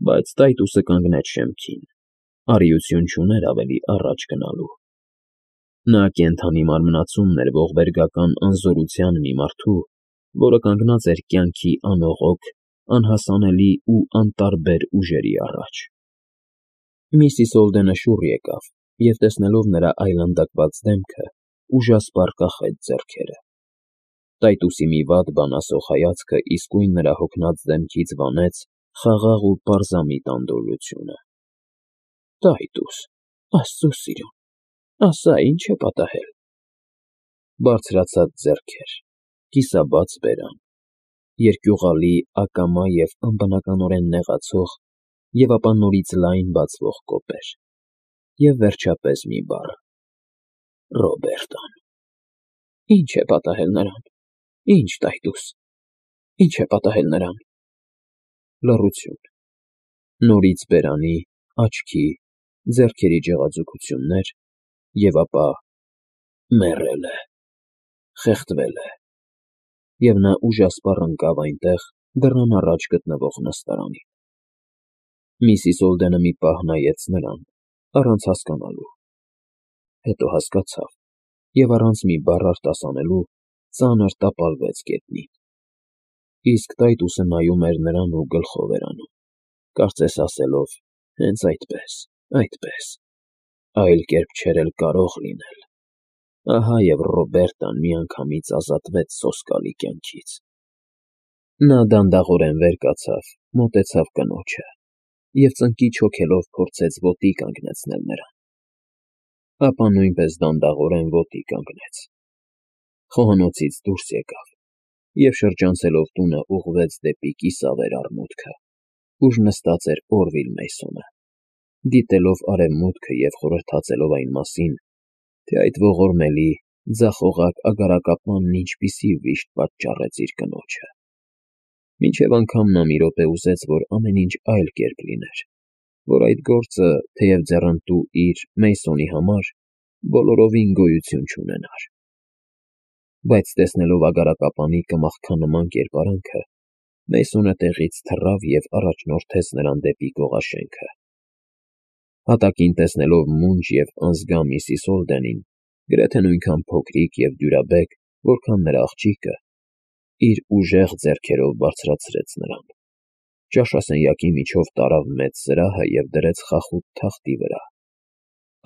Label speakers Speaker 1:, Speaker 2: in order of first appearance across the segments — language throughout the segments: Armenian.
Speaker 1: Բայց Տայտուսը կանգնեց շեմքին, արիություն չուներ ավելի առաջ գնալու։ Նա կենդանի մարմնացումն էր ողբերգական անզորության մի մարդու, որը կանգնած էր կյանքի անողոք, անհասանելի ու անտարբեր ուժերի առաջ։ Միսիս Օլդենը շուռ եկավ և, տեսնելով նրա այլանդակված դեմքը, ուժասպառ կախեց ձեռքերը։ Տայտուսի մի վատ բան ասող հայացքը իսկույն նրա հոգնած դեմքից վանեց խաղաղ ու պարզամիտ անդորրությունը։ Տայտուս, Աստծո սիրուն, ասա, ինչ է պատահել։ Բարձրացած ձեռքեր, կիսաբաց բերան, երկյուղալի, ակամա և անբնականորեն նեղացող և ապա նորից լայն բացվող կոպեր, և վերջապես մի բառ. Ռոբերտան։ Ի՞նչ է պատահել նրան, ի՞նչ, Տայտուս, ի՞նչ է պատահել նրան։ Լռություն, նորից բերանի, աչքի, ձեռքերի ջղաձգություններ, և ապա մեռել է, խեղդվել է, և նա ուժասպառ ընկավ այնտեղ դռան առաջ գտնվող նստարանին։ Միսիս Օլդենը մի պահ նայեց նրան, առանց հասկանալու, հետո հասկացավ և առանց մի բառ արտասանելու ծանր տապալվեց գետնին։ Իսկ Տայտուսը նայում էր նրան ու գլխով էր անում, կարծես ասելով. հենց այդպես, այդպես, այլ կերպ չէր էլ կարող լինել։ Ահա և Ռոբերտան միանգամից ազատվեց սոսկալի կյանքից։ Նա դանդաղորեն վեր կացավ, մոտեցավ կնոջը և ծնկի չոքելով փորձեց ոտի կանգնեցնել նրան։ Ապա նույնպես դանդաղորեն ոտի կանգնեց։ Խոհանոցից դուրս եկավ և շրջանցելով տունը ուղղվեց դեպի կիսավեր առմուտքը, ուր նստած էր Օրվիլ Մեյսոնը, դիտելով արևմուտքը և խորհրդածելով այն մասին, թե այդ ողորմելի, ձախողակ ագարակապանն ինչպիսի վիշտ պատճառեց իր կնոջը։ Մինչև անգամ նա մի րոպե ուզեց, որ ամեն ինչ այլ կերպ լիներ, որ այդ գործը, թեև ձեռնտու իր Մեյսոնի համար, բոլորովին գոյություն չունենար։ Բայց տեսնելով ագարակապանի կմախքանման կերպարանքը, Մեյսոնը տեղից թռավ և առաջնորդեց նրան դեպի կողաշենքը։ Հատակին տեսնելով մունջ և անզգա միսիս Օլդենին, գրեթե նույնքան փոքրիկ և դյուրաբեկ, որքան նրա աղջիկը, իր ուժեղ ձեռքերով բարձրացրեց նրան, ճաշասենյակի միջով տարավ մեծ սրահը և դրեց խախուտ թախտի վրա,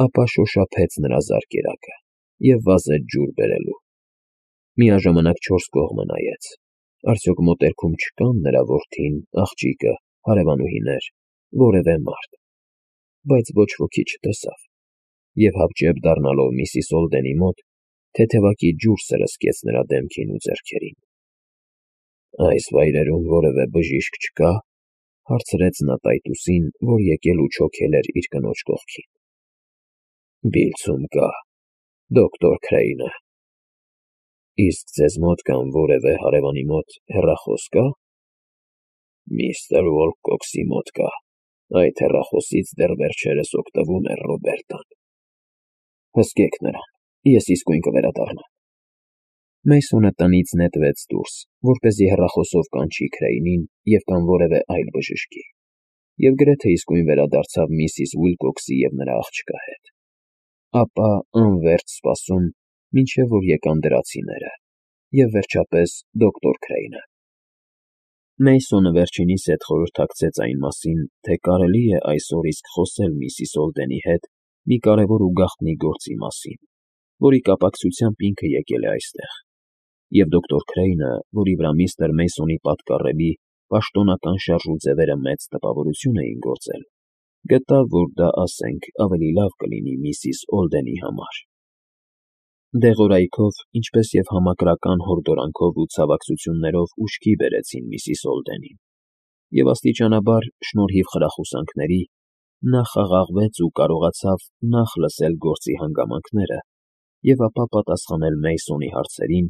Speaker 1: ապա շոշափեց նրա զարկերակը և վազեց ջուր բերելու։ Միաժամանակ չորս կողմը նայեց, արդյոք մոտերքում չկան նրա որդին, աղջիկը, հարևանուհիներ, որևէ մարդ, բայց ոչ ոքի չտեսավ և հապճեպ դառնալով միսիս Օլդենի մոտ, թեթևակի ջուր սրսկեց նրա դեմքին ու ձեռքերին։ Այս վայրերում որևէ բժիշկ չկա՞, հարցրեց նա Տայտուսին, որ եկել ու չոքել էր իր կնոջ կողքին։ Բիլցում կա, դոկտոր Քրեյնը։ Իսկ ձեզ մոտ կամ որևէ հարևանի մոտ հեռախոս կա։ Միստր Ուոլկոքսի մոտ կա, այդ հեռախոսից դեռ վերջերս օգտվում էր Ռոբերտան։ Հսկեք նրան, ես իսկույն կվերադառնամ։ Մեյսոնը տնից նետվեց դուրս, որպեսզի հեռախոսով կանչի Քրեյնին և կամ որևէ այլ բժշկի, և գրեթե իսկույն վերադարձավ միսիս Ուիլկոքսի և նրա աղջկա հետ։ Ապա անվերջ սպասում, մինչև որ եկան դրացիները, և վերջապես դոկտոր Քրեյնը։ Մեյսոնը վերջինիս հետ խորհրդակցեց այն մասին, թե կարելի է այսօր իսկ խոսել միսիս Օլդենի հետ մի կարևոր ու գաղտնի գործի մասին, որի կապակցությամբ ինքը եկել է այստեղ, և դոկտոր Քրեյնը, որի վրա միստր Մեյսոնի պատկառելի, պաշտոնական շարժու ձևերը մեծ տպավորություն էին գործել, գտավ, որ դա, ասենք, ավելի լավ կլինի միսիս Օլդենի համար։ Դեղորայքով, ինչպես և համակրական հորդորանքով ու ցավակցություններով ուշքի բերեցին միսիս Օլդենին, և աստիճանաբար, շնորհիվ խրախուսանքների, նա խաղաղվեց ու կարողացավ նախ լսել գործի հանգամանքները և ապա պատասխանել Մեյսոնի հարցերին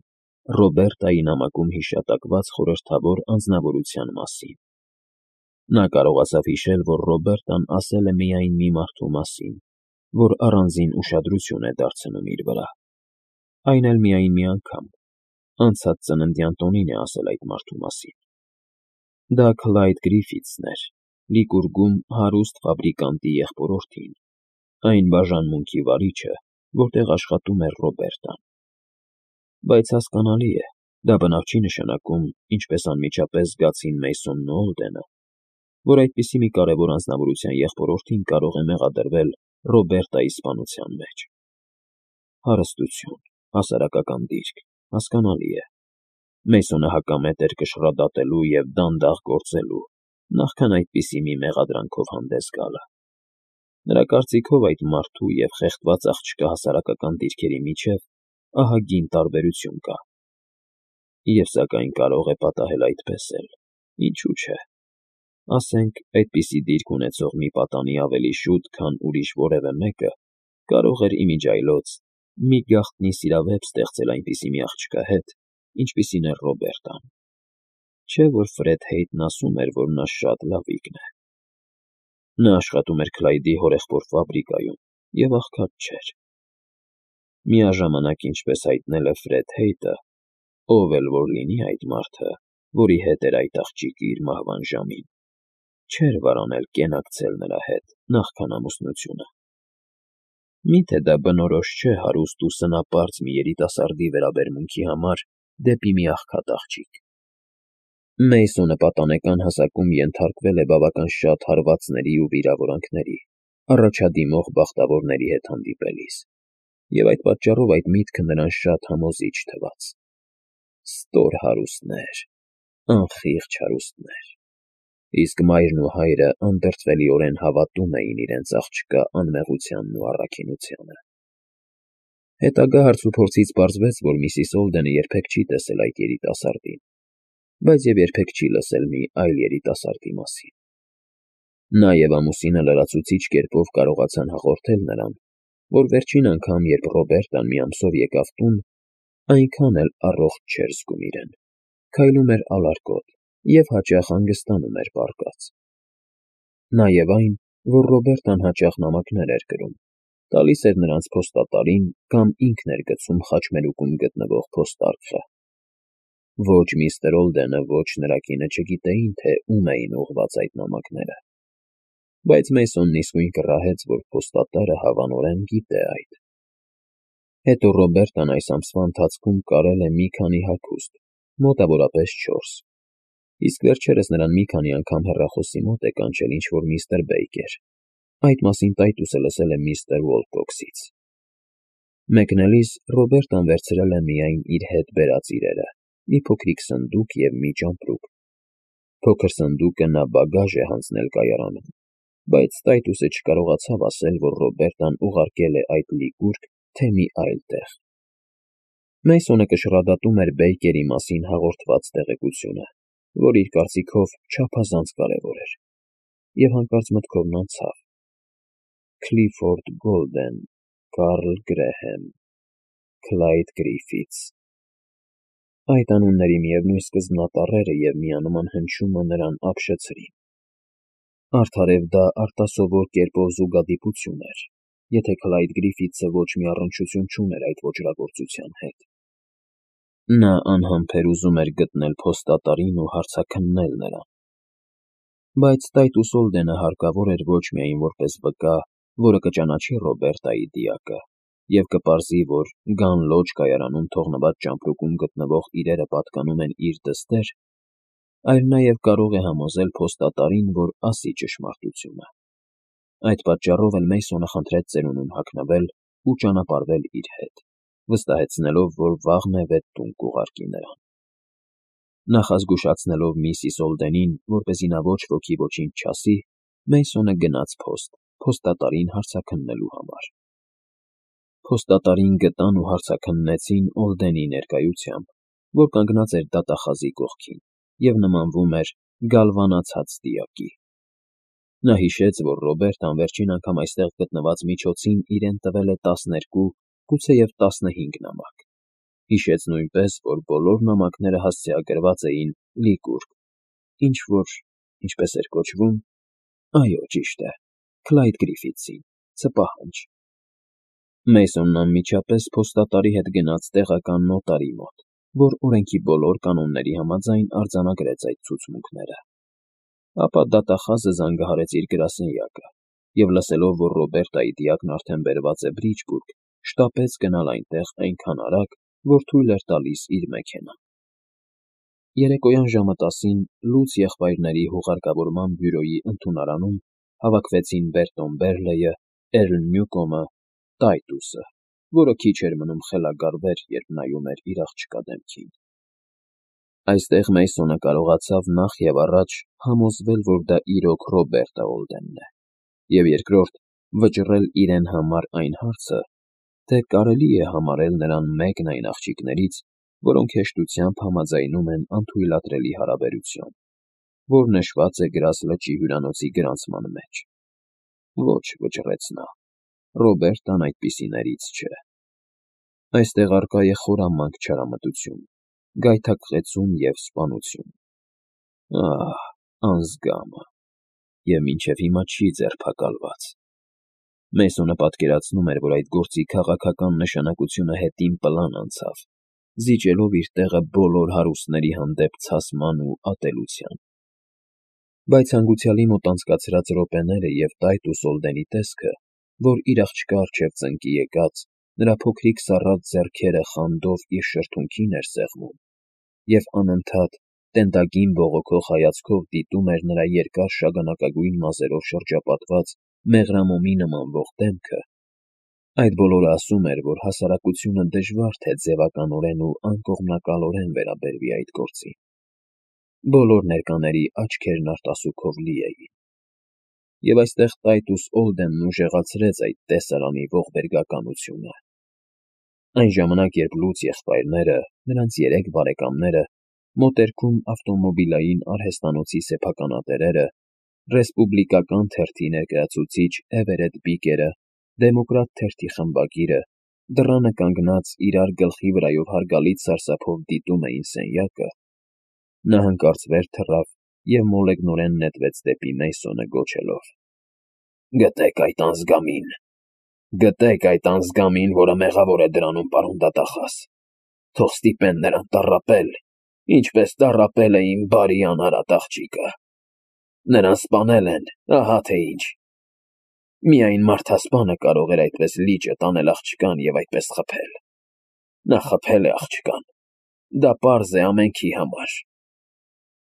Speaker 1: Ռոբերտայի նամակում հիշատակված խորհրդավոր անձնավորության մասին։ Նա կարողացավ հիշել, որ Ռոբերտան ասել է միայն մի մարդու մասին, որ առանձին ուշադրություն է դարձնում իր վրա, այն էլ միայն մի անգամ, անցած ծննդյան տոնին է ասել այդ մարդու մասին։ Դա Քլայդ Գրիֆիթսն էր, Լիկուրգում հարուստ ֆաբրիկանտի եղբորորդին, այն բաժանմունքի վարիչը, որտեղ աշխատում էր Ռոբերտան։ Բայց հասկանալի է, դա բնավ չի նշանակում, ինչպես անմիջապես զգացին Մեյսոնն ու Օլդենը, որ այդպիսի մի կարևոր անձնավորության եղբորորդին կարող է մեղադրվել Ռոբերտայի սպանության մեջ։ Հարստություն, հասարակական դիրք, հասկանալի է։ Մեյսոնը հակամետ էր կշռադատելու և դանդաղ գործելու, նախքան այդպիսի մի մեղադրանքով հանդես գալը։ Նրա կարծիքով այդ մարդու և խեղդված աղջկա հասարակական դիրքերի միջև ահագին տարբերություն կա։ Եվ սակայն կարող է պատահել այդպես էլ, ինչու՞ չէ։ Ասենք, այդպիսի դիրք ունեցող մի պատանի ավելի շուտ, քան ուրիշ որևէ մեկը կարող էր իմիջիայլոց մի գաղտնի սիրավեպ ստեղծել այնպիսի մի աղջկա հետ, ինչպիսին էր Ռոբերտան։ Չէ՞ որ Ֆրեդ Հեյթն ասում էր, որ նա շատ լավիկն է։ Նա աշխատում էր Քլայդի հորեղբոր ֆաբրիկայում և աղքատ չէր։ Միաժամանակ, ինչպես հայտնել է Ֆրեդ Հեյթը, ով էլ որ լինի այդ մարդը, որի հետ էր այդ աղջիկը իր մահվան ժամին, չէր վարանել կենակցել նրա հետ նախքան ամուսնությունը։ Մի՞թե դա բնորոշ չէ հարուստ ու սնապարծ մի երիտասարդի վերաբերմունքի համար դեպի մի աղքատ աղջիկ։ Մեյսոնը պատանեկան հասակում ենթարկվել է բավական շատ հարվածների ու վիրավորանքների, առաջադիմող բախտավորների հետ հանդիպելիս, և այդ պատճառով այդ միտքը նրան շատ համոզիչ թվաց։ Ստոր հարուստներ, անխիղճ հարուստներ։ Իսկ մայրն ու հայրը անդրդվելիորեն հավատում էին իրենց աղջկա անմեղությանն ու առաքինությանը։ Հետագա հարցուփորձից պարզվեց, որ միսիս Օլդենը երբեք չի տեսել այդ երիտասարդին, բայց և երբեք չի լսել մի այլ երիտասարդի մասին։ Նա և ամուսինը լրացուցիչ կերպով կարողացան հաղորդել նրան, որ վերջին անգամ, երբ Ռոբերտան մի ամսով եկավ տուն, այնքան էլ առողջ չէր զգում իրեն, քայլում էր ալարկոտ և հաճախ հանգստանում էր պառկած։ Նաև այն, որ Ռոբերտան հաճախ նամակներ էր գրում, տալիս էր նրանց փոստատարին կամ ինքն էր գցում խաչմերուկում գտնվող փոստարկղը։ Ոչ միստր Օլդենը, ոչ նրա կինը չգիտեին, թե ում էին ուղղված այդ նամակները, բայց Մեյսոնն իսկույն կռահեց, որ փոստատարը հավանորեն գիտե այդ։ Հետո Ռոբերտան այս ամսվա ընթացքում կարել է մի քանի հագուստ, մոտավորապես 4, իսկ վերջերս նրան մի քանի անգամ հեռախոսի մոտ է կանչել ինչ-որ միստր Բեյքեր, այդ մասին տայտուսը լսել է միստր Ուոլկոքսից։ Մեկնելիս Ռոբերտան վերցրել է միայն իր հետ բերած իրերը, մի փոքրիկ սնդուկ և մի ճամպրուկ։ Փոքր սնդուկը նա բագաժ է հանձնել կայարանում, բայց տայտուսը չկարողացավ ասել, որ Ռոբերտան ուղարկել է այդ լիկուրգ, թե մի այլ տեղ։ Մեյսոնը կշռադատում էր Բեյքերի մասին հաղորդված տեղեկությունը, որ իր կարծիքով չափազանց կարևոր էր, և հանկարծ մտքովն անցավ. Քլիֆորդ Գոլդեն, Կարլ Գրեհեմ, Քլայդ Գրիֆիթս։ Այդ անունների միևնույն սկզբնատառերը և միանման հնչյունը նրան ապշեցրին։ Արդարև դա արտասովոր կերպով զուգադիպություն էր, եթե Քլայդ Գրիֆիթսը ոչ մի առնչություն չուներ այդ ոճրագործության հետ։ Նա անհամբեր ուզում էր գտնել փոստատարին ու հարցաքննել նրան։ Բայց Տայտուս Օլդենը հարկավոր էր ոչ միայն որպես վկա, որը կճանաչի Ռոբերտայի դիակը և կպարզի, որ Գան Լոջ կայարանում թողնված ճամպրուկում գտնվող իրերը պատկանում են իր դստեր, այլ նաև կարող է համոզել փոստատարին, որ ասի ճշմարտությունը։ Այդ պատճառով էլ Մեյսոնը խնդրեց ծերունուն հագնվել ու ճանապարհվել իր հետ, վստահեցնելով, որ վաղն է վետ տուն կուղարկի նրան։ Նախազգուշացնելով միսիս Օլդենին, որպեսզի նա ոչ ոքի ոչինչ չասի, Մեյսոնը գնաց փոստ, փոստատարին հարցաքննելու համար։ Փոստատարին գտան ու հարցաքննեցին Օլդենի ներկայությամբ, որ կանգնած էր դատախազի կողքին և նմանվում էր գալվանացած դիակի։ Նա հիշեց, որ Ռոբերտան վերջին անգամ այստեղ գտնված միջոցին իրեն տվել է 12, գուցեև 15 նամակ։ Հիշեց նույնպես, որ բոլոր նամակները հասցեագրված էին լիկուրգ, ինչ-որ, ինչպես էր կոչվում, այո, ճիշտ է, Քլայդ Գրիֆիթսին, ցպահանջ։ Մեյսոնն անմիջապես փոստատարի հետ գնաց տեղական նոտարի մոտ, որ օրենքի բոլոր կանոնների համաձայն արձանագրեց այդ ցուցմունքները։ ապա դատախազը զանգահարեց իր գրասենյակը և լսելով, որ Ռոբերտայի դիակն արդեն բերված է Բրիջբուրգ, շտապեց գնալ այնտեղ այնքան արագ, որ թույլ էր տալիս իր մեքենան։ Երեկոյան ժամը 10-ին Լուց եղբայրների հուղարկավորման բյուրոյի ընդունարանում հավաքվեցին Բերտոն Բերլեյը, Էրլ Նյուկոմը, Տայտուսը, որը քիչ էր մնում խելագարվեր, երբ նայում էր իր աղջկա դեմքին։ Այստեղ Մեյսոնը կարողացավ նախ և առաջ համոզվել, որ դա իրոք Ռոբերտը Օլդենն է, և երկրորդ վճռել իրեն համար այն հարցը, թե կարելի է համարել նրան մեկն այն աղջիկներից, որոնք հեշտությամբ համաձայնում են անթույլատրելի հարաբերություն, որ նշված է Գրազ լճի հյուրանոցի գրանցման մեջ։ Ոչ, վճռեց նա, Ռոբերտան այդպիսիներից չէ։ Այստեղ առկա է խորամանկ չարամտություն, գայթակղեցում և սպանություն։ Ահ, անզգամը, և մինչև հիմա չի ձերբակալված։ Մեյսոնը պատկերացնում էր, որ այդ գործի քաղաքական նշանակությունը հետին պլան անցավ, զիջելով իր տեղը բոլոր հարուստների հանդեպ ցասման ու ատելության։ Բայց հանգուցյալի մոտ անցկացրած րոպեները և Տայտուս Օլդենի տեսքը, որ իր աղջկա առջև ծնկի եկած, նրա փոքրիկ սառած ձեռքերը խանդով իր շրթունքին էր սեղմում, և անընդհատ տենդագին բողոքող հայացքով դիտում էր նրա երկար շագանակագույն մազերով շրջապատված մեղրամոմի նմանվող դեմքը, այդ բոլորը ասում էր, որ հասարակությունը դժվար թե ձևականորեն ու անկողմնակալորեն վերաբերվի այդ գործին։ Բոլոր ներկաների աչքերն արտասուքով լի էին։ Եվ այստեղ Տայտուս Օլդենն ուժեղացրեց այդ տեսարանի ողբերգականությունը։ Այն ժամանակ, երբ Լուց եղբայրները, նրանց 3 բարեկամները, մոտերքում ավտոմոբիլային արհեստանոցի սեփականատերերը, ռեսպուբլիկական թերթի ներկայացուցիչ Էվերետ Բիկերը, դեմոկրատ թերթի խմբագիրը, դռանը կանգնած իրար գլխի վրայով հարգալից սարսափով դիտում էին սենյակը, նա հանկարծ վեր թռավ և մոլեգնորեն նետվեց դեպի Մեյսոնը գոչելով. «Գտեք այդ անզգամին, գտեք այդ անզգամին, որը մեղավոր է դրանում, պարոն դատախազ, թող ստիպեն նրան տառապել, ինչպես տառապել է իմ բարի անարատ աղջիկը։ Նրան սպանել են, ահա թե ինչ։ Միայն մարդասպանը կարող էր այդպես լիճը տանել աղջկան և այդպես խփել։ Նա խփել է աղջկան, դա պարզ է ամենքի համար»։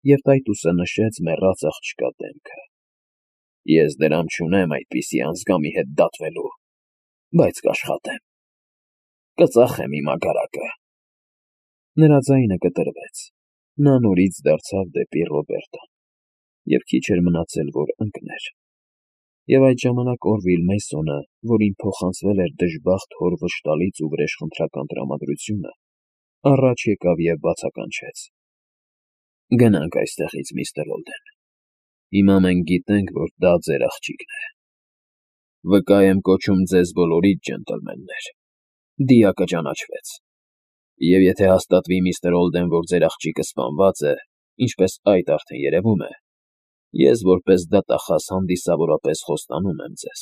Speaker 1: Եվ Տայտուսը նշեց մեռած աղջկա դեմքը։ «Ես դրամ չունեմ այդպիսի անզգամի հետ դատվելու, բայց կաշխատեմ, կծախեմ իմ ագարակը»։ Նրա ձայնը կտրվեց, նա նորից դարձավ դեպի Ռոբերտան, և քիչ էր մնացել, որ ընկներ։ Եվ այդ ժամանակ Օրվիլ Մեյսոնը, որին փոխանցվել էր դժբախտ հոր վշտալից ու վրեժխնդրական տրամադրությունը, առաջ եկավ և բացականչեց. «Գնանք այստեղից, միստր Օլդեն։ Հիմա մենք գիտենք, որ դա ձեր աղջիկն է։ Վկա եմ կոչում ձեզ բոլորիդ, ջենտլմեններ, դիակը ճանաչվեց։ Եվ եթե հաստատվի, միստր Օլդեն, որ ձեր աղջիկը սպանված է, ինչպես այդ արդեն երևում է, ես որպես դատախազ հանդիսավորապես խոստանում եմ ձեզ.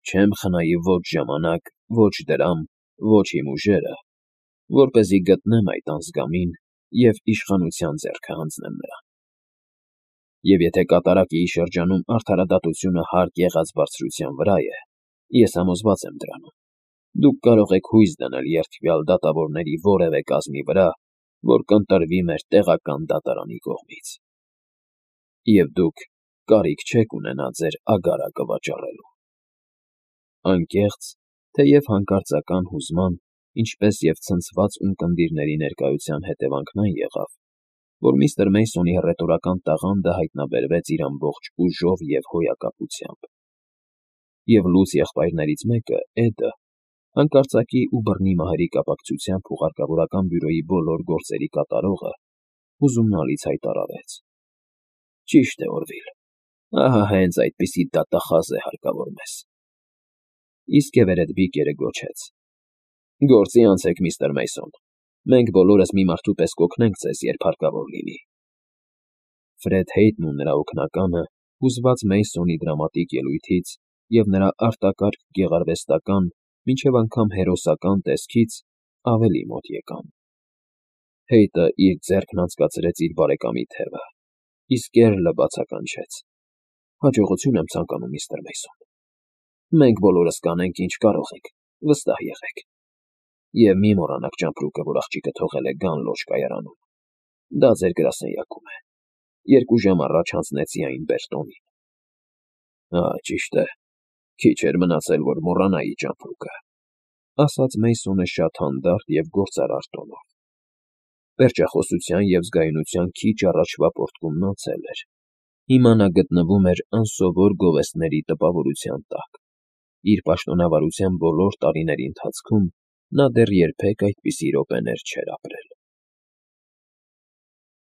Speaker 1: չեմ խնայի ոչ ժամանակ, ոչ դրամ, ոչ իմ ուժերը, որպեսզի գտնեմ այդ անզգամին և իշխանության ձեռքը հանձնեմ նրան։ Եվ եթե կատարակիի շրջանում արդարադատությունը հարկ եղած բարձրության վրա է, ես համոզված եմ դրանում, դուք կարող եք հույս դնել երդվյալ դատավորների որևէ կազմի վրա, որ կընտրվի մեր տեղական դատարանի կողմից։ Եվ դուք կարիք չեք ունենա ձեր ագարակը վաճառելու»։ Անկեղծ, թեև հանկարծական հուզման, ինչպես և ցնցված ունկնդիրների ներկայության հետևանքն այն եղավ, որ միստր Մեյսոնի հռետորական տաղանդը հայտնաբերվեց իր ամբողջ ուժով և հոյակապությամբ։ Եվ Լուց եղբայրներից մեկը, Էդը, հանկարծակի ու բռնի մահերի կապակցությամբ հուղարկավորական բյուրոյի բոլոր գործերի կատարողը, հուզումնալից հայտարարեց. «Ճիշտ է, Օրվիլ, ահա հենց այդպիսի դատախազ է հարկավոր մեզ»։ Իսկ Էվերետ Բիկերը գոչեց. «Գործի անցեք, միստր Մեյսոն, մենք բոլորս մի մարդու պես կօգնենք ձեզ, երբ հարկավոր լինի»։ Ֆրեդ Հեյթն ու նրա օգնականը, հուզված Մեյսոնի դրամատիկ ելույթից և նրա արտակարգ գեղարվեստական, մինչև անգամ հերոսական տեսքից, ավելի մոտ եկան։ Հեյթը իր ձեռքն անցկացրեց իր բարեկամի թևը, Իսկ Կերլը բացականչեց. Հաջողություն եմ ցանկանում, միստր Մեյսոն։ Մենք բոլորս կանենք, ինչ կարող ենք, վստահ եղեք։ Եվ մի մոռանաք ճամպրուկը, որ աղջիկը թողել է Գան Լոջ կայարանում։ Դա ձեր գրասենյակում է։ 2 ժամ առաջ հանձնեցի այն Բերտոնին։ Ճիշտ է, քիչ էր մնացել, որ մոռանայի ճամպրուկը, ասաց Մեյսոնը շատ հանդարտ և գործարար տոնով։ Պերճախոսության և զգայունության քիչ առաջվա պոռթկումն անցել էր։ Հիմա նա գտնվում էր անսովոր գովեստների տպավորության տակ։ Իր պաշտոնավարության բոլոր տարիների ընթացքում նա դեռ երբեք այդպիսի րոպեներ չէր ապրել։